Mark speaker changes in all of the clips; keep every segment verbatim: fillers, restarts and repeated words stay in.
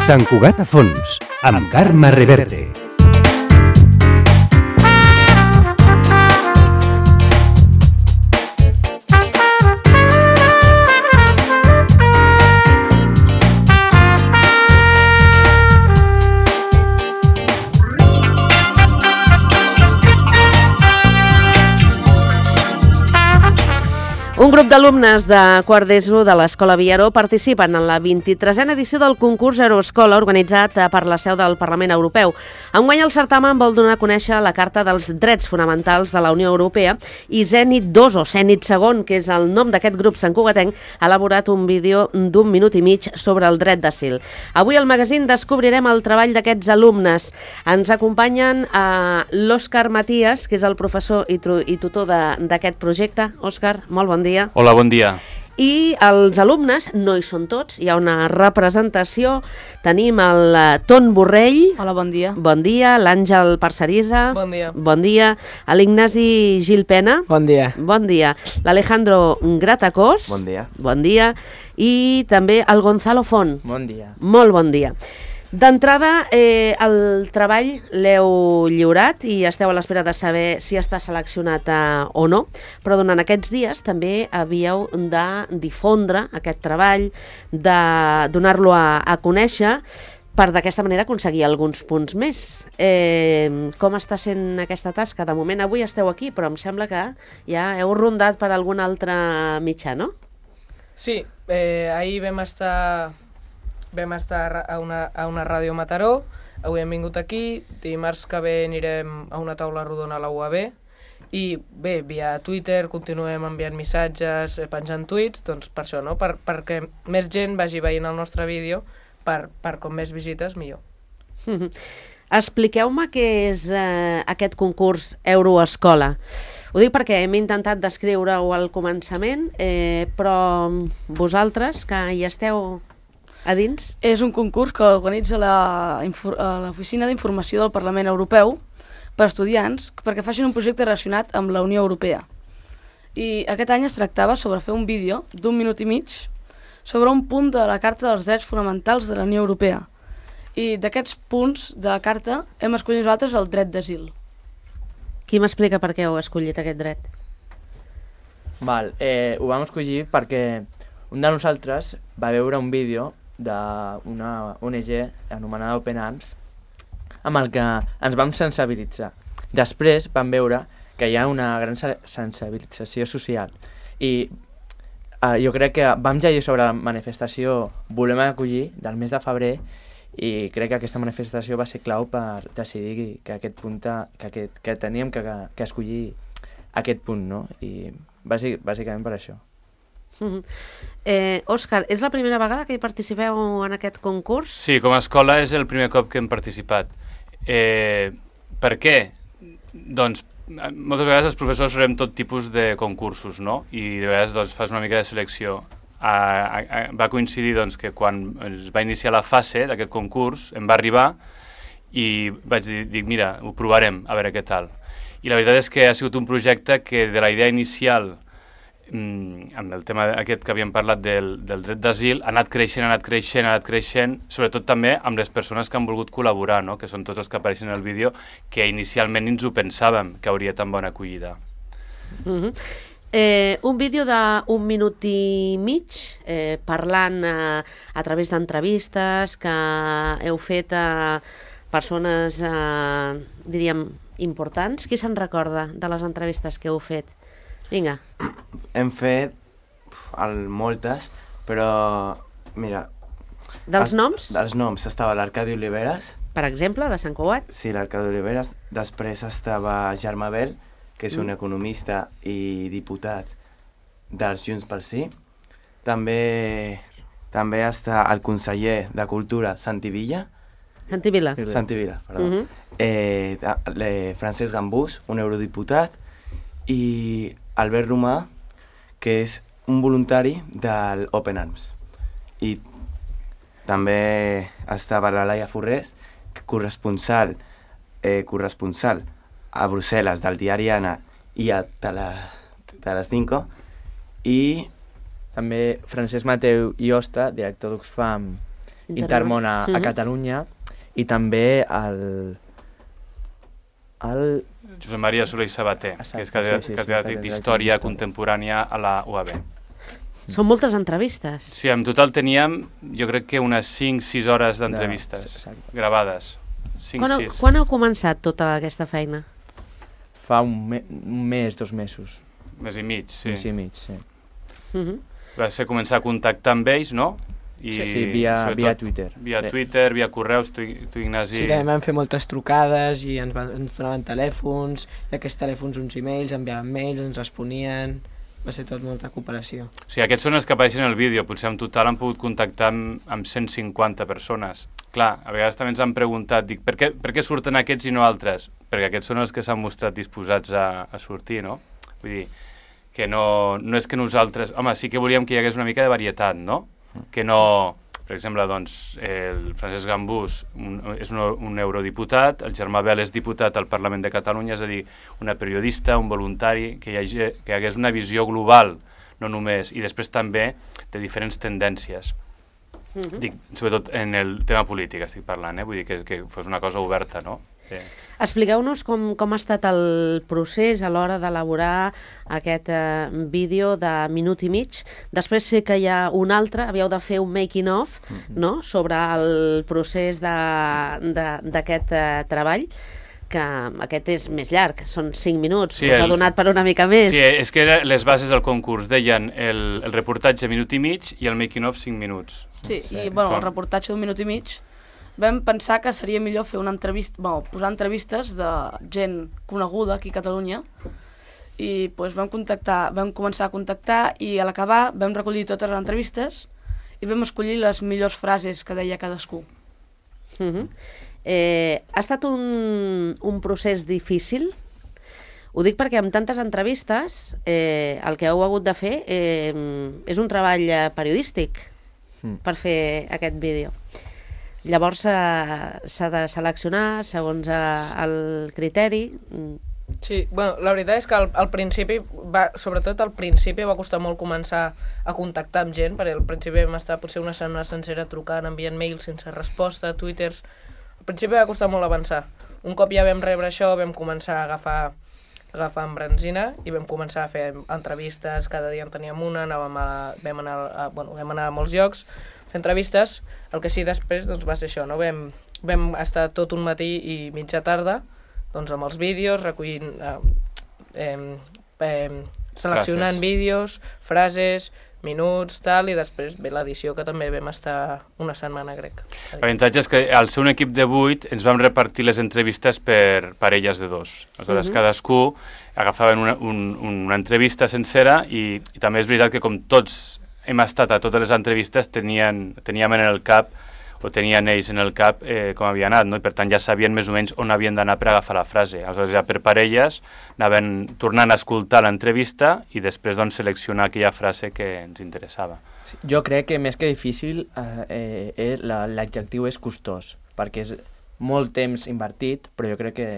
Speaker 1: Sant Cugat a fons, amb Carme Reverte.
Speaker 2: Un grup d'alumnes de quart d'ESO de l'Escola Viaró participen en la vint-i-tresena edició del concurs Euroescola organitzat per la seu del Parlament Europeu. Enguany el certamen vol donar a conèixer la Carta dels Drets Fonamentals de la Unió Europea i Zenit dos o Zenit segon, que és el nom d'aquest grup santcugatenc, ha elaborat un vídeo d'un minut i mig sobre el dret d'asil. Avui al magazín descobrirem el treball d'aquests alumnes. Ens acompanyen a l'Òscar Matías, que és el professor i, i tutor d'aquest projecte. Òscar, molt bon dia. Dia.
Speaker 3: Hola, bon dia.
Speaker 2: I els alumnes, no hi són tots, hi ha una representació. Tenim el Ton Borrell.
Speaker 4: Hola, bon dia.
Speaker 2: Bon dia. L'Àngel Parcerisa.
Speaker 4: Bon dia.
Speaker 2: Bon dia. L'Ignasi Gil Pena.
Speaker 5: Bon dia.
Speaker 2: Bon dia. L'Alejandro Gratacós.
Speaker 5: Bon dia.
Speaker 2: Bon dia. I també el Gonzalo Font.
Speaker 5: Bon dia.
Speaker 2: Molt bon dia. D'entrada, eh, el treball l'heu lliurat i esteu a l'espera de saber si està seleccionat eh, o no, però durant aquests dies també havíeu de difondre aquest treball, de donar-lo a, a conèixer, per d'aquesta manera aconseguir alguns punts més. Eh, com està sent aquesta tasca? De moment avui esteu aquí, però em sembla que ja heu rondat per algun altre mitjà, no?
Speaker 4: Sí, eh, ahir vam estar... Vam estar a una, a una ràdio a Mataró, avui hem vingut aquí, dimarts que ve anirem a una taula rodona a la U A B i bé, via Twitter continuem enviant missatges, penjant tuits, doncs per això, no? Per, perquè més gent vagi veient el nostre vídeo, per, per com més visites, millor.
Speaker 2: Expliqueu-me què és eh, aquest concurs Euroescola. Ho dic perquè hem intentat descriure-ho al començament, eh, però vosaltres, que hi esteu a dins?
Speaker 6: És un concurs que organitza l'Oficina d'Informació del Parlament Europeu per estudiants perquè facin un projecte relacionat amb la Unió Europea. I aquest any es tractava sobre fer un vídeo d'un minut i mig sobre un punt de la Carta dels Drets Fonamentals de la Unió Europea. I d'aquests punts de la Carta hem escollit nosaltres el dret d'asil.
Speaker 2: Qui m'explica per què heu escollit aquest dret?
Speaker 5: Val, eh, ho vam escollir perquè un de nosaltres va veure un vídeo d'una O N G anomenada Open Arms amb el que ens vam sensibilitzar. Després vam veure que hi ha una gran sensibilització social i eh, jo crec que vam llegir sobre la manifestació Volem acollir del mes de febrer i crec que aquesta manifestació va ser clau per decidir que aquest punt que, que, que teníem que, que escollir aquest punt, no? I bàsic, bàsicament per això.
Speaker 2: Uh-huh. eh, Òscar, és la primera vegada que hi participeu en aquest concurs?
Speaker 3: Sí, com a escola és el primer cop que hem participat. Eh, per què? Doncs moltes vegades els professors farem tot tipus de concursos, no? I de vegades doncs, fas una mica de selecció. A, a, a, va coincidir doncs, que quan es va iniciar la fase d'aquest concurs em va arribar i vaig dir, dic, mira, ho provarem, a veure què tal. I la veritat és que ha sigut un projecte que de la idea inicial amb el tema aquest que havíem parlat del, del dret d'asil, ha anat creixent, ha anat creixent, ha anat creixent, sobretot també amb les persones que han volgut col·laborar, no? Que són tots els que apareixen en el vídeo, que inicialment ni ens ho pensàvem que hauria tan bona acollida.
Speaker 2: Uh-huh. eh, un vídeo d'un minut i mig, eh, parlant eh, a través d'entrevistes que heu fet a persones, eh, diríem, importants. Qui se'n recorda de les entrevistes que heu fet? Vinga.
Speaker 7: Hem fet el, moltes, però mira...
Speaker 2: Dels
Speaker 7: el,
Speaker 2: noms?
Speaker 7: Dels noms. Estava l'Arcadi Oliveres.
Speaker 2: Per exemple, de Sant Cugat?
Speaker 7: Sí, l'Arcadi Oliveres. Després estava Germà Bel, que és un
Speaker 2: mm.
Speaker 7: economista i diputat dels Junts pel Sí. També, també està el conseller de Cultura, Santi Villa.
Speaker 2: Santi Vila.
Speaker 7: Santi Vila, perdó.
Speaker 2: Mm -hmm.
Speaker 7: eh, eh, Francesc Gambús, un eurodiputat, i Albert Romà, que és un voluntari del Open Arms. I també estava la Laia Forrés, corresponsal, eh, corresponsal a Brussel·les del diari Ana i a Telecinco, i
Speaker 5: també Francesc Mateu i Osta, director d'Oxfam Intermón a, a Catalunya, i també el... el...
Speaker 3: Josep Maria Soler i Sabater,
Speaker 5: Exacte,
Speaker 3: que és catedràtic
Speaker 5: sí, sí, sí,
Speaker 3: d'Història
Speaker 5: catedràtic d'Història.
Speaker 3: Contemporània a la U A B.
Speaker 2: Són moltes entrevistes.
Speaker 3: Sí, en total teníem, jo crec que unes cinc sis hores d'entrevistes
Speaker 5: Exacte.
Speaker 3: gravades. cinc
Speaker 2: Quan, heu,
Speaker 3: sis.
Speaker 2: quan heu començat tota aquesta feina?
Speaker 5: Fa un, me un mes, dos mesos.
Speaker 3: Mes i mig, sí.
Speaker 5: Mes i mig, sí.
Speaker 2: Uh -huh.
Speaker 3: Va ser començar a contactar amb ells, no? I,
Speaker 5: Sí, sí, via,
Speaker 3: sobretot,
Speaker 5: via Twitter.
Speaker 3: Via
Speaker 5: Bé.
Speaker 3: Twitter, via correus, tu, tu Ignasi...
Speaker 8: Sí, també vam fer moltes trucades i ens, van, ens donaven telèfons, i aquests telèfons uns e-mails, enviaven mails, ens responien... Va ser tot molta cooperació.
Speaker 3: O sigui, aquests són els que apareixen en el vídeo. Potser en total han pogut contactar amb, amb cent cinquanta persones. Clar, a vegades també ens han preguntat, dic, per què, per què surten aquests i no altres? Perquè aquests són els que s'han mostrat disposats a, a sortir, no? Vull dir, que no, no és que nosaltres... Home, sí que volíem que hi hagués una mica de varietat, no? Que no... Per exemple, doncs, el Francesc Gambús un, és un, un eurodiputat, el Germà Bel és diputat al Parlament de Catalunya, és a dir, una periodista, un voluntari, que hi, hagi, que hi hagués una visió global, no només, i després també de diferents tendències. Uh-huh. Dic, sobretot en el tema polític estic parlant, eh? Vull dir que, que fos una cosa oberta, no? Sí.
Speaker 2: Expliqueu-nos com, com ha estat el procés a l'hora d'elaborar aquest eh, vídeo de minut i mig. Després sé que hi ha un altre, havíeu de fer un making of, mm-hmm. no?, sobre el procés d'aquest eh, treball, que aquest és més llarg, són cinc minuts,
Speaker 3: Sí,
Speaker 2: us
Speaker 3: el-
Speaker 2: ha donat per una mica més.
Speaker 3: Sí, és que era, les bases del concurs deien el, el reportatge minut i mig i el making of cinc minuts.
Speaker 6: Sí, i bueno, el reportatge d'un minut i mig vam pensar que seria millor fer una entrevista, bueno, posar entrevistes de gent coneguda aquí a Catalunya i doncs, vam contactar, vam començar a contactar i a l'acabar vam recollir totes les entrevistes i vam escollir les millors frases que deia cadascú.
Speaker 2: Uh -huh. eh, ha estat un, un procés difícil? Ho dic perquè amb tantes entrevistes eh, el que heu hagut de fer eh, és un treball eh, periodístic mm. per fer aquest vídeo. Llavors eh, s'ha de seleccionar segons eh, el criteri.
Speaker 4: Sí, bueno, la veritat és que al, al principi, va, sobretot al principi va costar molt començar a contactar amb gent, perquè al principi vam estar potser una setmana sencera trucant, enviant mails sense resposta, twitters... Al principi va costar molt avançar. Un cop ja vam rebre això, vam començar a agafar, agafar embranzina i vam començar a fer entrevistes, cada dia en teníem una, anàvem a, vam, anar a, bueno, vam anar a molts llocs, fer entrevistes. El que sí després doncs, va ser això, no? Vam, vam estar tot un matí i mitja tarda doncs, amb els vídeos, recollint, eh, eh, eh, seleccionant
Speaker 3: Frases.
Speaker 4: vídeos, frases, minuts, tal, i després ve l'edició, que també vam estar una setmana, crec.
Speaker 3: L'avantatge és que al ser un equip de vuit ens vam repartir les entrevistes per parelles de dos. Aleshores, uh-huh. cadascú agafaven una, un, una entrevista sencera i, i també és veritat que com tots hem estat a totes les entrevistes tenien, teníem en el cap o tenien ells en el cap eh, com havia anat, no? I per tant ja sabien més o menys on havien d'anar per agafar la frase. Aleshores ja per parelles anaven tornant a escoltar l'entrevista i després doncs, seleccionar aquella frase que ens interessava.
Speaker 5: Sí, jo crec que més que difícil eh, eh, l'adjectiu és costós, perquè és molt temps invertit, però jo crec que,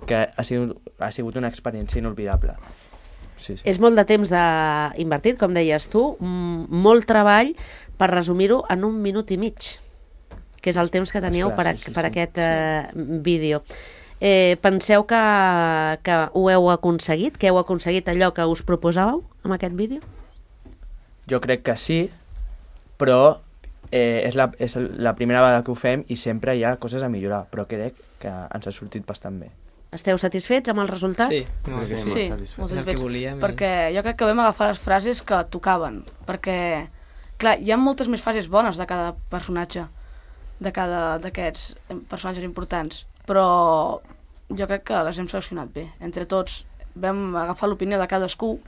Speaker 5: que ha, sigut, ha sigut una experiència inolvidable. Sí, sí.
Speaker 2: És molt de temps de... invertit, com deies tu, molt treball per resumir-ho en un minut i mig, que és el temps que teníeu
Speaker 5: Esclar,
Speaker 2: per, a,
Speaker 5: sí, sí,
Speaker 2: per
Speaker 5: sí.
Speaker 2: aquest eh, vídeo. Eh, penseu que, que ho heu aconseguit? Que heu aconseguit allò que us proposàveu amb aquest vídeo?
Speaker 5: Jo crec que sí, però eh, és, la, és la primera vegada que ho fem i sempre hi ha coses a millorar, però crec que ens ha sortit bastant bé.
Speaker 2: Esteu satisfets amb el resultat?
Speaker 8: Sí, molt
Speaker 7: Sí,
Speaker 8: bé.
Speaker 7: molt
Speaker 6: Sí,
Speaker 7: satisfet.
Speaker 6: molt
Speaker 8: És el que
Speaker 6: satisfets,
Speaker 8: volíem.
Speaker 6: perquè jo crec que vam agafar les frases que tocaven, perquè, clar, hi ha moltes més frases bones de cada personatge, de cada d'aquests personatges importants, però jo crec que les hem seleccionat bé. Entre tots vam agafar l'opinió de cadascú,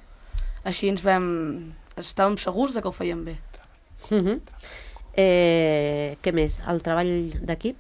Speaker 6: així ens vam... estàvem segurs de que ho fèiem bé.
Speaker 2: Uh -huh. eh, què més? El treball d'equip?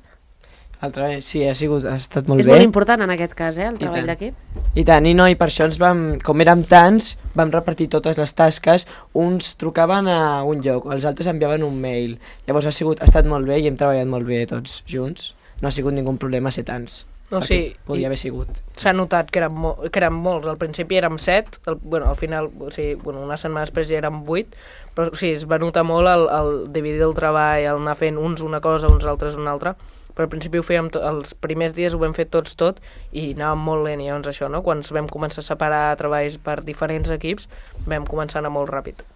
Speaker 8: El treball, sí, ha, sigut, ha estat molt
Speaker 2: És
Speaker 8: bé.
Speaker 2: molt important en aquest cas, eh, el
Speaker 8: I
Speaker 2: treball
Speaker 8: tant.
Speaker 2: d'equip.
Speaker 8: I tant, i no, i per això ens vam, com érem tants, vam repartir totes les tasques, uns trucaven a un lloc, els altres enviaven un mail. Llavors ha, sigut, ha estat molt bé i hem treballat molt bé tots junts. No ha sigut ningú problema ser tants.
Speaker 4: No,
Speaker 8: perquè
Speaker 4: sí,
Speaker 8: podria
Speaker 4: i-
Speaker 8: haver sigut.
Speaker 4: S'ha notat que érem, mo que érem molts. Al principi érem set, el, bueno, al final, o sigui, bueno, una setmana després ja érem vuit, però sí, es va notar molt el, el dividir el treball, el anar fent uns una cosa, uns altres una altra, però al principi ho fèiem, els primers dies ho vam fer tots tot i anàvem molt lent, i llavors això, no? Quan vam començar a separar treballs per diferents equips, vam començar a anar molt ràpid.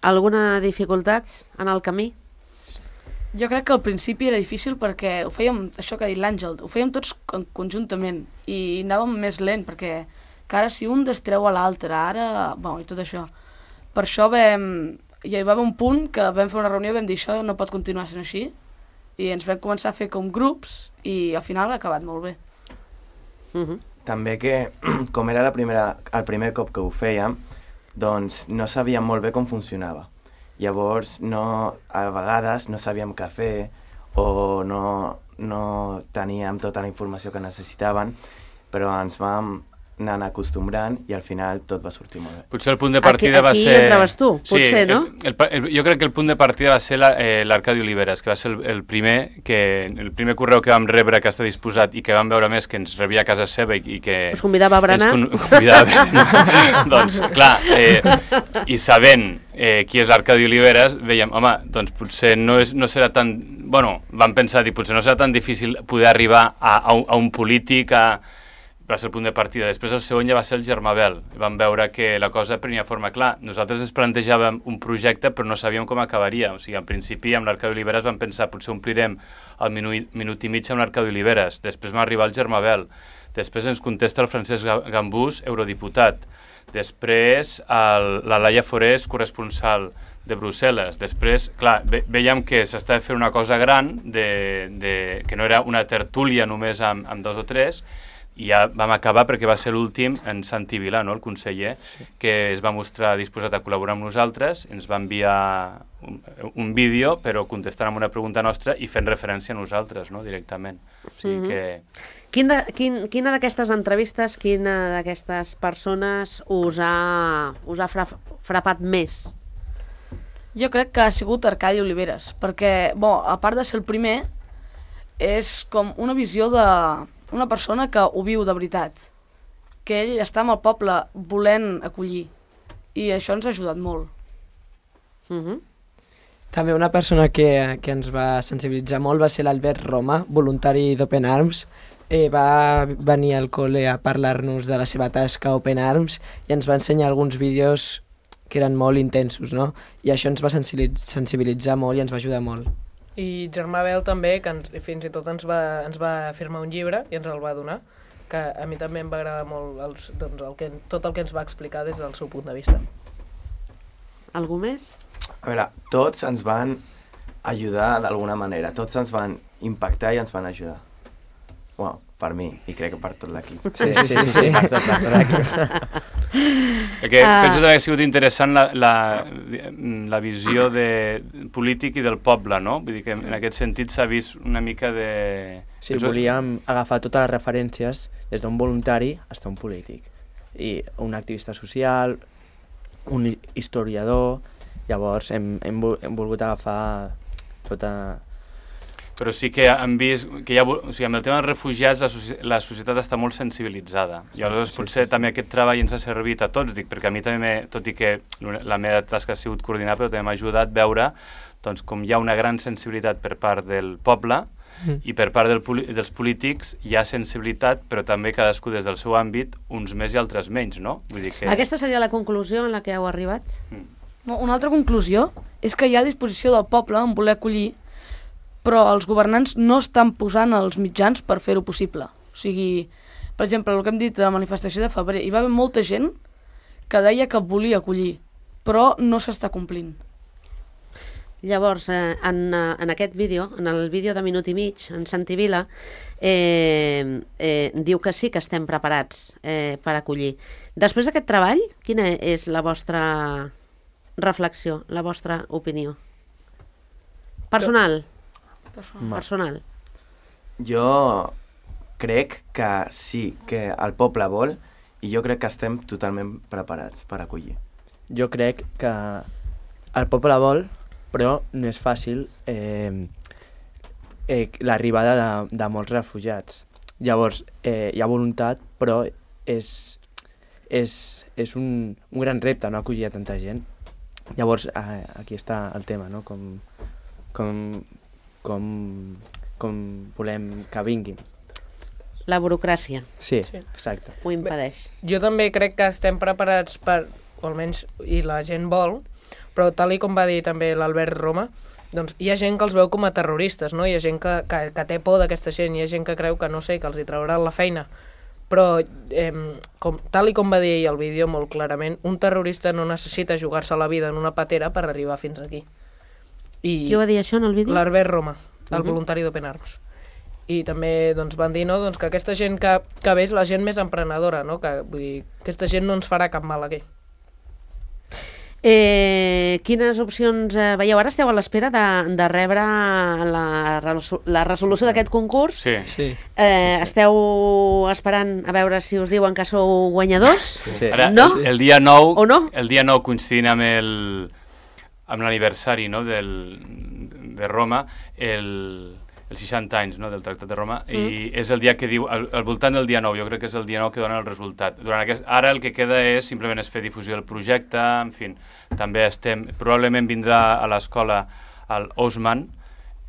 Speaker 2: Alguna dificultat en el camí?
Speaker 6: Jo crec que al principi era difícil perquè ho fèiem, això que ha dit l'Àngel, ho fèiem tots con conjuntament i anàvem més lent perquè que ara si un destreu a l'altre, ara... Bueno, i tot això. Per això vam... Hi va haver un punt que vam fer una reunió i vam dir això no pot continuar sent així i ens vam començar a fer com grups i al final ha acabat molt bé.
Speaker 2: Uh -huh.
Speaker 7: També que, com era la primera, el primer cop que ho fèiem, doncs no sabíem molt bé com funcionava. Llavors, no, a vegades no sabíem què fer o no, no teníem tota la informació que necessitaven, però ens vam anant acostumbrant i al final tot va sortir molt bé.
Speaker 3: Potser el punt de partida
Speaker 2: Aquí-
Speaker 3: va
Speaker 2: aquí
Speaker 3: ser...
Speaker 2: entraves tu, potser,
Speaker 3: sí,
Speaker 2: no?
Speaker 3: El, el, el, jo crec que el punt de partida va ser l'Arcadi Oliveres, que va ser el, el primer que el primer correu que vam rebre que està disposat i que vam veure més que ens rebia a casa seva i, i que...
Speaker 2: Us convidava a berenar?
Speaker 3: Ens con convidava a berenar. Doncs, clar, eh, i sabent eh, qui és l'Arcadi Oliveres, veiem, home, doncs potser no, és, no serà tan... Bueno, vam pensar, dir, potser no serà tan difícil poder arribar a, a, un, a un polític, a... va ser el punt de partida. Després el segon ja va ser el Germabel. Vam veure que la cosa prenia forma. Clar, nosaltres ens plantejàvem un projecte però no sabíem com acabaria. O sigui, al principi amb l'Arcadi Oliveres vam pensar potser omplirem el minut, minut i mig amb l'Arcadi Oliveres. Després va arribar el Germabel. Després ens contesta el Francesc Gambús, eurodiputat. Després el, la Laia Forés, corresponsal de Brussel·les. Després, clar, ve, veiem que s'estava fent una cosa gran, de, de, que no era una tertúlia només amb, amb dos o tres, i ja vam acabar perquè va ser l'últim en Santi Vilà, no?, el conseller, sí, que es va mostrar disposat a col·laborar amb nosaltres, ens va enviar un, un vídeo, però contestant amb una pregunta nostra i fent referència a nosaltres, no?, directament. O sigui
Speaker 2: Mhm.
Speaker 3: que...
Speaker 2: Quin de, quin, quina d'aquestes entrevistes, quina d'aquestes persones us ha, us ha fra, frapat més?
Speaker 6: Jo crec que ha sigut Arcadi Oliveres, perquè, bo, a part de ser el primer, és com una visió de una persona que ho viu de veritat, que ell està amb el poble volent acollir, i això ens ha ajudat molt.
Speaker 2: Uh -huh.
Speaker 8: També una persona que, que ens va sensibilitzar molt va ser l'Albert Roma, voluntari d'Open Arms. Eh, va venir al col·le a parlar-nos de la seva tasca a Open Arms i ens va ensenyar alguns vídeos que eren molt intensos, no? I això ens va sensibilitzar molt i ens va ajudar molt.
Speaker 4: I Germabel també, que ens, fins i tot ens va, ens va firmar un llibre i ens el va donar, que a mi també em va agradar molt els, doncs, el que, tot el que ens va explicar des del seu punt de vista.
Speaker 2: Algú més?
Speaker 7: A veure, tots ens van ajudar d'alguna manera, tots ens van impactar i ens van ajudar. Bueno, per mi, i crec que per tot l'equip.
Speaker 5: Sí, sí, sí, sí. Per tot, per tot l'equip.
Speaker 3: El que
Speaker 2: Ah.
Speaker 3: penso també que ha sigut interessant la, la, la visió de polític i del poble, no? Vull dir que en aquest sentit s'ha vist una mica de...
Speaker 5: Sí,
Speaker 3: penso-
Speaker 5: volíem agafar totes les referències des d'un voluntari fins a un polític. I un activista social, un hi- historiador... Llavors hem, hem, vol- hem volgut agafar tota...
Speaker 3: Però sí que hem vist que hi ha, o sigui, amb el tema dels refugiats la, soci la societat està molt sensibilitzada. I aleshores
Speaker 5: sí,
Speaker 3: potser
Speaker 5: sí, sí.
Speaker 3: també aquest treball ens ha servit a tots, dic, perquè a mi també, tot i que la meva tasca ha sigut coordinar, però també m'ha ajudat a veure doncs, com hi ha una gran sensibilitat per part del poble
Speaker 8: Mm.
Speaker 3: i per part del, dels polítics hi ha sensibilitat, però també cadascú des del seu àmbit, uns més i altres menys, no? Vull dir que...
Speaker 2: Aquesta seria la conclusió en la que heu arribat?
Speaker 3: Mm.
Speaker 6: Una altra conclusió és que hi ha disposició del poble en voler acollir, però els governants no estan posant els mitjans per fer-ho possible. O sigui, per exemple, el que hem dit de la manifestació de febrer, hi va haver molta gent que deia que volia acollir, però no s'està complint.
Speaker 2: Llavors, eh, en, eh, en aquest vídeo, en el vídeo de minut i mig, en Santi Vila, eh, eh, diu que sí que estem preparats eh, per acollir. Després d'aquest treball, quina és la vostra reflexió, la vostra opinió? Personal.
Speaker 6: Personal.
Speaker 2: Personal.
Speaker 7: Jo crec que sí, que el poble vol, i jo crec que estem totalment preparats per acollir.
Speaker 5: Jo crec que el poble vol, però no és fàcil eh, eh, l'arribada de, de molts refugiats. Llavors, eh, hi ha voluntat, però és, és, és un, un gran repte, no?, acollir a tanta gent. Llavors, eh, aquí està el tema, no?, com, com, com, com volem que vinguin.
Speaker 2: La burocràcia.
Speaker 5: Sí,
Speaker 4: Sí.
Speaker 5: exacte.
Speaker 2: Ho impedeix.
Speaker 4: Jo també crec que estem preparats per, o almenys, i la gent vol, però tal i com va dir també l'Albert Roma, doncs hi ha gent que els veu com a terroristes, no? Hi ha gent que, que, que té por d'aquesta gent, hi ha gent que creu que, no sé, que els hi trauran la feina. Però, eh, com, tal i com va dir ell al vídeo molt clarament, un terrorista no necessita jugar-se la vida en una patera per arribar fins aquí. I
Speaker 2: Qui ho va dir això en el vídeo?
Speaker 4: L'Albert Roma, el
Speaker 2: Mhm.
Speaker 4: voluntari d'Open Arms. I també doncs, van dir, no, doncs, que aquesta gent que, que ve és la gent més emprenedora, no? Que, vull dir, aquesta gent no ens farà cap mal aquí.
Speaker 2: Eh, quines opcions eh, veieu? Ara esteu a l'espera de, de rebre la, resol- la resolució d'aquest concurs.
Speaker 3: Sí.
Speaker 8: Sí.
Speaker 2: Eh, esteu esperant a veure si us diuen que sou guanyadors?
Speaker 5: Sí.
Speaker 3: Ara,
Speaker 2: No?
Speaker 3: el, el dia nou,
Speaker 2: O no?
Speaker 3: el dia nou coincidint amb el amb l'aniversari, no?, del, de Roma, el, els seixanta anys, no?, del Tractat de Roma,
Speaker 2: Sí.
Speaker 3: i és el dia que diu, al, al voltant del dia nou, jo crec que és el dia nou que dona el resultat. Durant aquest, ara el que queda és simplement és fer difusió del projecte, en fi, també estem, probablement vindrà a l'escola el Osman,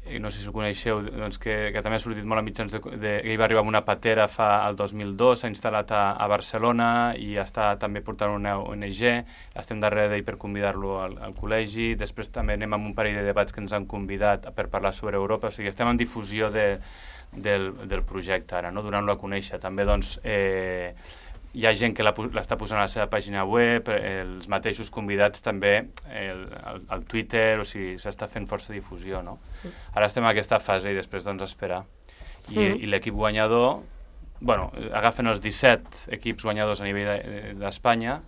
Speaker 3: eh, no sé si el coneixeu, doncs que, que també ha sortit molt a mitjans de, de, que ell va arribar amb una patera fa el dos mil dos, s'ha instal·lat a, a Barcelona i està també portant una O N G, estem darrere d'ell per convidar-lo al, al col·legi, després també anem amb un parell de debats que ens han convidat per parlar sobre Europa, o sigui, estem en difusió de, del, del projecte ara, no?, donant-lo a conèixer. També, doncs, eh, hi ha gent que la, l'està posant a la seva pàgina web, els mateixos convidats també el, el, el Twitter, o sigui, s'està fent força difusió, no? Sí. Ara estem en aquesta fase i després, doncs, esperar. I,
Speaker 2: Mhm.
Speaker 3: i l'equip guanyador, bueno, agafen els disset equips guanyadors a nivell de- d'Espanya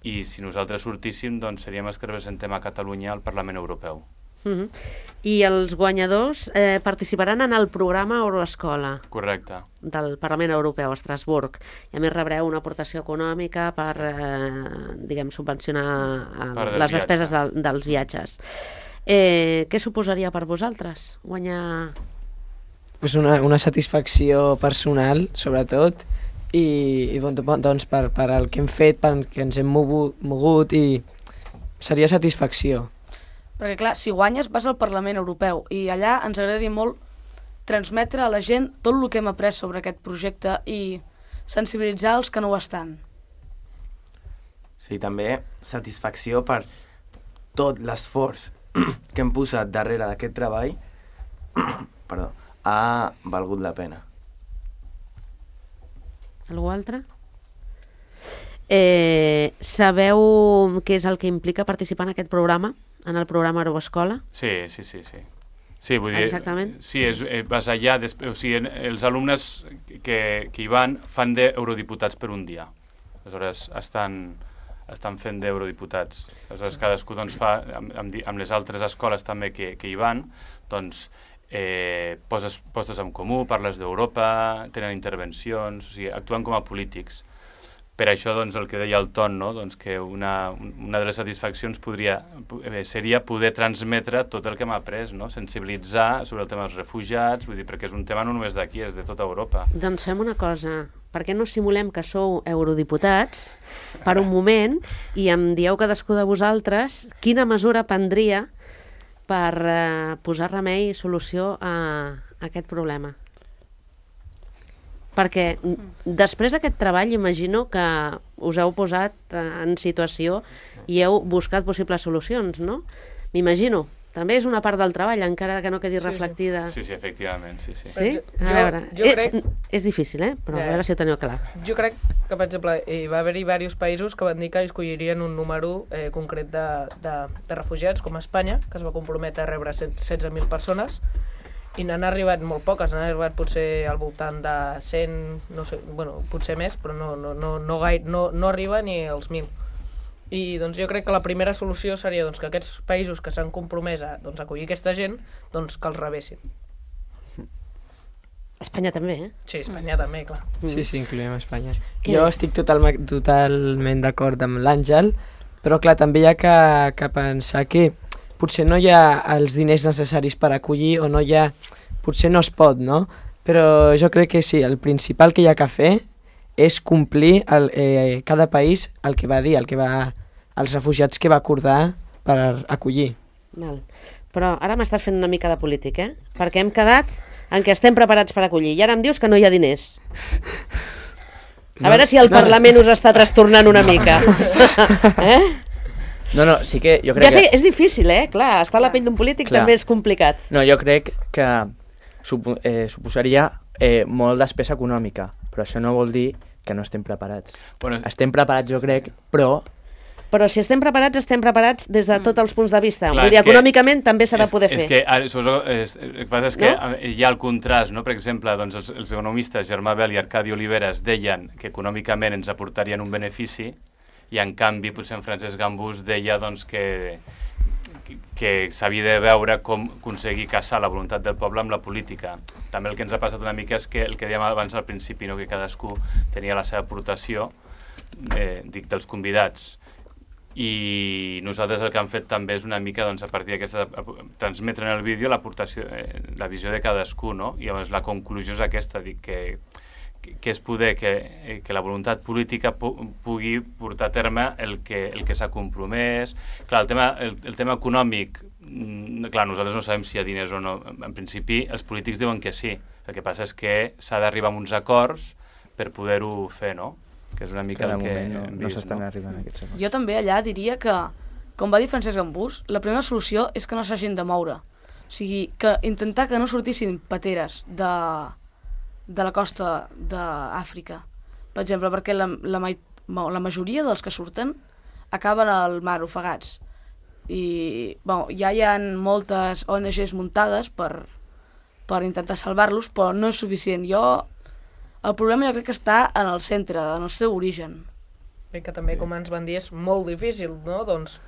Speaker 3: i si nosaltres sortíssim, doncs seríem els que representem a Catalunya al Parlament Europeu.
Speaker 2: Mhm. I els guanyadors eh, participaran en el programa Euroescola
Speaker 3: Correcte.
Speaker 2: del Parlament Europeu a Estrasburg. I a més rebreu una aportació econòmica per, eh, diguem, subvencionar eh,
Speaker 3: Per del
Speaker 2: les
Speaker 3: viatge.
Speaker 2: despeses del, dels viatges. Eh, què suposaria per vosaltres guanyar...
Speaker 8: Pues una, una satisfacció personal, sobretot, i, i bon, doncs per, per el que hem fet, per que ens hem mogut, mogut i seria satisfacció.
Speaker 6: Perquè, clar, si guanyes vas al Parlament Europeu i allà ens agradaria molt transmetre a la gent tot el que hem après sobre aquest projecte i sensibilitzar els que no ho estan.
Speaker 7: Sí, també satisfacció per tot l'esforç que hem posat darrere d'aquest treball perdó, ha valgut la pena.
Speaker 2: Algú altre? Eh, sabeu què és el que implica participar en aquest programa, en el programa Euroescola?
Speaker 3: Sí, sí, sí, sí. Sí, vull dir,
Speaker 2: Exactament.
Speaker 3: Sí, és, eh, vas allà, després, o sigui, els alumnes que, que hi van fan d'eurodiputats per un dia. Aleshores, estan, estan fent d'eurodiputats. Aleshores, cadascú doncs, fa, amb, amb, di- amb les altres escoles també que, que hi van, doncs, eh, poses postes en comú, parles d'Europa, tenen intervencions, o sigui, actuen com a polítics. Per això, doncs, el que deia el Ton, no? Doncs que una, una de les satisfaccions podria, eh, seria poder transmetre tot el que hem après, no? Sensibilitzar sobre el tema dels refugiats, vull dir, perquè és un tema no només d'aquí, és de tota Europa.
Speaker 2: Doncs fem una cosa, per què no simulem que sou eurodiputats per un moment i em dieu cadascú de vosaltres quina mesura prendria per eh, posar remei i solució a, a aquest problema? Perquè mm, després d'aquest treball imagino que us heu posat eh, en situació i heu buscat possibles solucions, no? M'imagino. També és una part del treball, encara que no quedi reflectida.
Speaker 3: Sí, sí, efectivament, sí, sí.
Speaker 2: Sí?
Speaker 4: Jo-
Speaker 2: A veure,
Speaker 4: jo
Speaker 2: és,
Speaker 4: crec-
Speaker 2: és difícil, eh? Però
Speaker 4: Ja,
Speaker 2: a
Speaker 4: ja.
Speaker 2: veure si ho teniu clar.
Speaker 4: Jo crec que, per exemple, hi va haver-hi diversos països que van dir que escollirien un número eh, concret de, de, de refugiats, com Espanya, que es va comprometre a rebre setze mil persones, i n'han arribat molt poques, n'han arribat potser al voltant de cent, no sé, bueno, potser més, però no, no, no, no, gaire, no, no arriba ni als mil. I doncs jo crec que la primera solució seria doncs, que aquests països que s'han compromès a doncs, acollir aquesta gent, doncs que els rebessin.
Speaker 2: Espanya també, eh?
Speaker 4: Sí, Espanya també, clar.
Speaker 8: Sí, sí, incloem Espanya.
Speaker 2: Què
Speaker 8: Jo
Speaker 2: és?
Speaker 8: estic total, totalment d'acord amb l'Àngel, però clar, també hi ha que, que pensar que potser no hi ha els diners necessaris per acollir o no hi ha... Potser no es pot, no? Però jo crec que sí, el principal que hi ha que fer és complir el, eh, cada país el que va dir, el que va, els refugiats que va acordar per acollir.
Speaker 2: Val. Però ara m'estàs fent una mica de polític, eh? Perquè hem quedat en què estem preparats per acollir. I ara em dius que no hi ha diners. A
Speaker 5: No,
Speaker 2: veure si el
Speaker 5: no,
Speaker 2: Parlament us està trastornant una mica. Eh?
Speaker 5: No, no, sí que jo crec
Speaker 2: Ja sé,
Speaker 5: que...
Speaker 2: és difícil, eh? Clar, estar a la pell d'un polític
Speaker 5: Clar.
Speaker 2: també és complicat.
Speaker 5: No, jo crec que supo, eh, suposaria eh, molt despesa econòmica, però això no vol dir que no estem preparats.
Speaker 3: Bueno,
Speaker 5: Estem preparats, jo crec, però
Speaker 2: Però si estem preparats, estem preparats des de tots els punts de vista.
Speaker 3: Clar,
Speaker 2: Vull dir,
Speaker 3: és que-
Speaker 2: econòmicament també s'ha de
Speaker 3: és-
Speaker 2: poder
Speaker 3: és
Speaker 2: fer.
Speaker 3: Que, ara, suposo, és, el que passa és que
Speaker 2: No?
Speaker 3: eh, hi ha el contrast, no? Per exemple, doncs els, els economistes Germà Bel i Arcadi Oliveres deien que econòmicament ens aportarien un benefici i en canvi potser en Francesc Gambús deia doncs, que, que, que s'havia de veure com aconseguir caçar la voluntat del poble amb la política. També el que ens ha passat una mica és que el que dèiem abans al principi, no? Que cadascú tenia la seva aportació, eh, dic, dels convidats. I nosaltres el que hem fet també és una mica doncs, a partir d'aquesta, transmetre en el vídeo l'aportació, eh, la visió de cadascú, no? I llavors la conclusió és aquesta, dic, que, que, que és poder que, eh, que la voluntat política pu pugui portar a terme el que, el que s'ha compromès. Clar, el tema, el, el tema econòmic, mm, clar, nosaltres no sabem si hi ha diners o no. En principi, els polítics diuen que sí. El que passa és que s'ha d'arribar a uns acords per poder-ho fer, no? Que és una mica
Speaker 5: que de
Speaker 3: el que
Speaker 5: moment no,
Speaker 3: hem
Speaker 5: no
Speaker 3: vist,
Speaker 5: s'estan
Speaker 3: no?
Speaker 5: arribant a aquests acords.
Speaker 6: Jo també allà diria que, com va dir Francesc Gambús, la primera solució és que no s'hagin de moure. O sigui, que intentar que no sortissin pateres de, de la costa d'Àfrica, per exemple, perquè la, la, mai- la majoria dels que surten acaben al mar ofegats. I bueno, ja hi ha moltes O N Ges muntades per, per intentar salvar-los, però no és suficient. Jo, el problema jo crec que està en el centre, en el seu origen.
Speaker 4: Bé, que també, com ens van dir, és molt difícil, no? Doncs,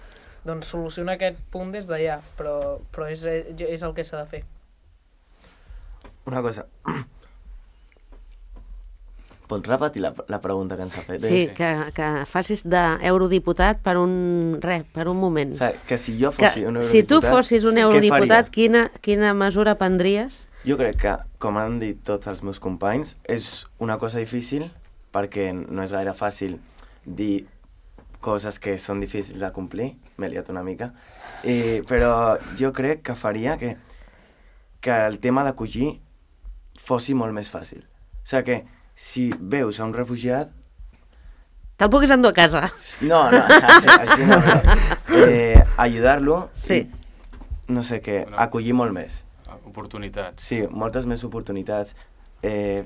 Speaker 4: doncs solucionar aquest punt des d'allà, però, però és, és el que s'ha de fer.
Speaker 7: Una cosa. Pots repetir la, la pregunta que ens ha fet?
Speaker 2: Sí, que, que facis d'eurodiputat per un, res, per un moment.
Speaker 7: O sigui, que si jo fossi
Speaker 2: Que,
Speaker 7: un
Speaker 2: si tu
Speaker 7: eurodiputat,
Speaker 2: fossis un
Speaker 7: què
Speaker 2: eurodiputat,
Speaker 7: faria?
Speaker 2: quina, quina mesura prendries?
Speaker 7: Jo crec que, com han dit tots els meus companys, és una cosa difícil perquè no és gaire fàcil dir coses que són difícils de complir, m'he liat una mica, I, però jo crec que faria que, que el tema d'acollir fossi molt més fàcil. O sigui que si veus a un refugiat...
Speaker 2: Te'l puguis endur a casa.
Speaker 7: No, no, així, així no, però eh, ajudar-lo
Speaker 2: Sí.
Speaker 7: i, no sé què,
Speaker 3: Bueno.
Speaker 7: acollir molt més.
Speaker 3: Oportunitats.
Speaker 7: Sí, moltes més oportunitats, eh,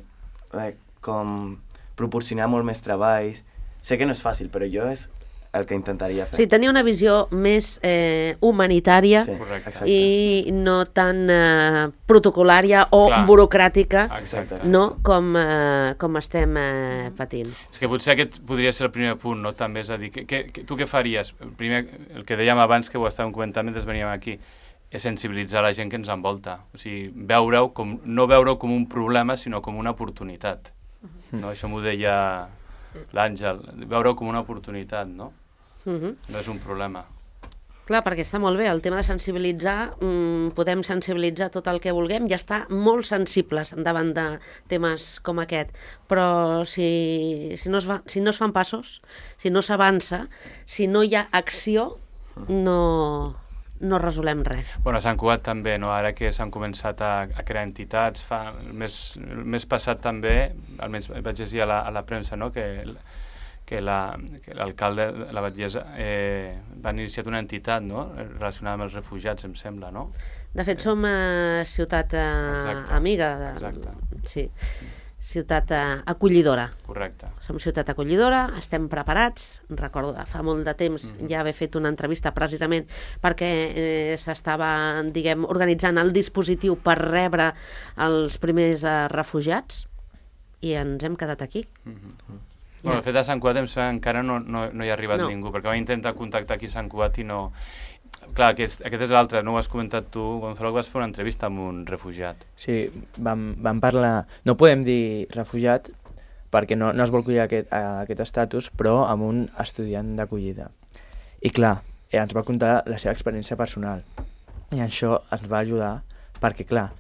Speaker 7: eh, com proporcionar molt més treballs. Sé que no és fàcil, però jo és el que intentaria fer.
Speaker 2: Sí, tenir una visió més eh, humanitària
Speaker 7: Sí,
Speaker 3: Correcte.
Speaker 7: exacte.
Speaker 2: i no tan eh, protocolària o
Speaker 3: Clar.
Speaker 2: burocràtica,
Speaker 3: Exacte.
Speaker 2: no? Com, eh, com estem eh, patint.
Speaker 3: És que potser aquest podria ser el primer punt, no? També és a dir, que, que, que, tu què faries? Primer, el que dèiem abans, que ho estàvem comentant mentre veníem aquí, és sensibilitzar la gent que ens envolta. O sigui, veure-ho com, no veure-ho com un problema, sinó com una oportunitat. No? Això m'ho deia l'Àngel, veure-ho com una oportunitat, no?
Speaker 2: Uh -huh.
Speaker 3: No és un problema.
Speaker 2: Clar, perquè està molt bé, el tema de sensibilitzar, mmm, podem sensibilitzar tot el que vulguem i estar molt sensibles davant de temes com aquest, però si, si, no, es va, si no es fan passos, si no s'avança, si no hi ha acció, no, no resolem res.
Speaker 3: Bueno, a Sant Cugat també, no? Ara que s'han començat a, a crear entitats, fa, el, mes, el mes passat també, almenys vaig llegir a la, a la premsa, no? que, que la- que l'alcalde de la Batllessa eh, va iniciar una entitat, no? Relacionada amb els refugiats, em sembla, no?
Speaker 2: De fet, som eh, ciutat eh,
Speaker 3: Exacte.
Speaker 2: amiga. De,
Speaker 3: Exacte.
Speaker 2: Sí, ciutat eh, acollidora.
Speaker 3: Correcte.
Speaker 2: Som ciutat acollidora, estem preparats. Recordo de fa molt de temps
Speaker 3: Mhm.
Speaker 2: ja haver fet una entrevista precisament perquè eh, s'estava, diguem, organitzant el dispositiu per rebre els primers eh, refugiats i ens hem quedat aquí.
Speaker 3: Mhm. Bueno, de fet, a Sant Cugat em sembla que encara no, no, no hi ha arribat
Speaker 2: No.
Speaker 3: ningú, perquè va intentar contactar aquí a Sant Cugat i no... Clar, aquest, aquest és l'altre, no ho has comentat tu, Gonzalo, que vas fer una entrevista amb un refugiat.
Speaker 5: Sí, vam, vam parlar... No podem dir refugiat perquè no, no es vol collir aquest, a, aquest estatus, però amb un estudiant d'acollida. I clar, eh, ens va contar la seva experiència personal. I això ens va ajudar perquè, clar,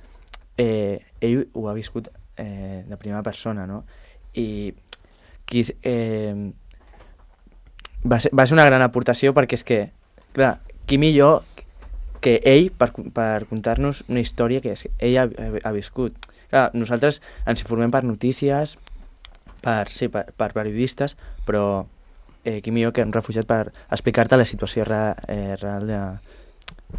Speaker 5: eh, ell ho ha viscut eh, de primera persona, no? I qui, eh, va, ser, va ser una gran aportació perquè és que, clar, qui millor que ell per, per contar-nos una història que és, ell ha, ha viscut. Clar, nosaltres ens informem per notícies, per, sí, per, per periodistes, però eh, qui millor que un refugiat per explicar-te la situació re, eh, real de,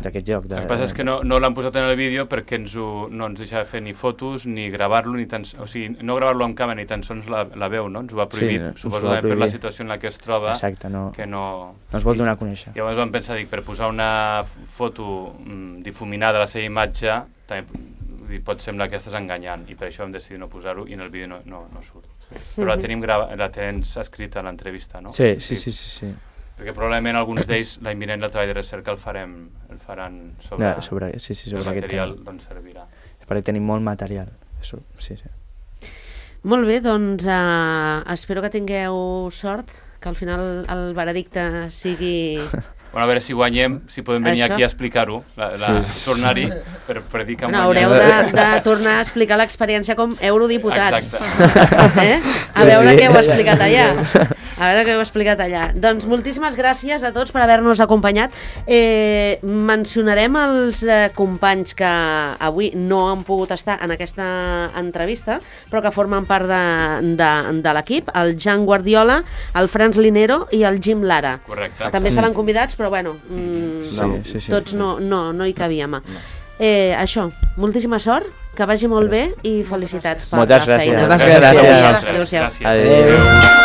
Speaker 5: d'aquest lloc. De,
Speaker 3: el que passa és que no, no l'han posat en el vídeo perquè ens ho, no ens deixava fer ni fotos ni gravar-lo, ni tan, o sigui, no gravar-lo amb càmera ni tan sols la, la veu, no? Ens ho va prohibir, sí, suposo que per la situació en la que es troba.
Speaker 5: Exacte, no,
Speaker 3: que no,
Speaker 5: no es vol donar a conèixer.
Speaker 3: I llavors vam pensar, dic, per posar una foto mm, difuminada a la seva imatge, també dir, pot semblar que estàs enganyant, i per això vam decidir no posar-ho i en el vídeo no, no, no surt. Sí. Però la tenim, grava, la tens escrita a l'entrevista, no?
Speaker 5: Sí, sí, sí, sí, sí.
Speaker 3: Perquè probablement alguns d'ells l'any vinent el treball de recerca el farem el faran sobre,
Speaker 5: no, sobre, sí, sí, sobre
Speaker 3: el material doncs servirà.
Speaker 5: Perquè tenim molt material. Això, sí, sí.
Speaker 2: Molt bé, doncs uh, espero que tingueu sort, que al final el veredicte sigui...
Speaker 3: Bueno, a veure si guanyem, si podem venir
Speaker 2: Això.
Speaker 3: aquí a explicar-ho, sí. Tornar-hi per, per dir que
Speaker 2: bueno,
Speaker 3: guanyem.
Speaker 2: haureu de, de tornar a explicar l'experiència com eurodiputats.
Speaker 3: Exacte.
Speaker 2: Eh? A veure sí, què heu explicat allà. A veure què heu explicat allà. Doncs moltíssimes gràcies a tots per haver-nos acompanyat. Eh, mencionarem els eh, companys que avui no han pogut estar en aquesta entrevista, però que formen part de, de, de l'equip, el Jan Guardiola, el Franz Linero i el Jim Lara.
Speaker 3: Correcte.
Speaker 2: També estaven convidats, però bueno, mm,
Speaker 5: sí, sí, sí,
Speaker 2: tots
Speaker 5: sí.
Speaker 2: no, no, no hi cabíem. No. Eh, això, moltíssima sort, que vagi molt bé i felicitats per
Speaker 5: Moltes
Speaker 2: la feina.
Speaker 5: gràcies.
Speaker 8: Moltes gràcies.
Speaker 2: Adéu-siau.
Speaker 3: Gràcies. Adéu.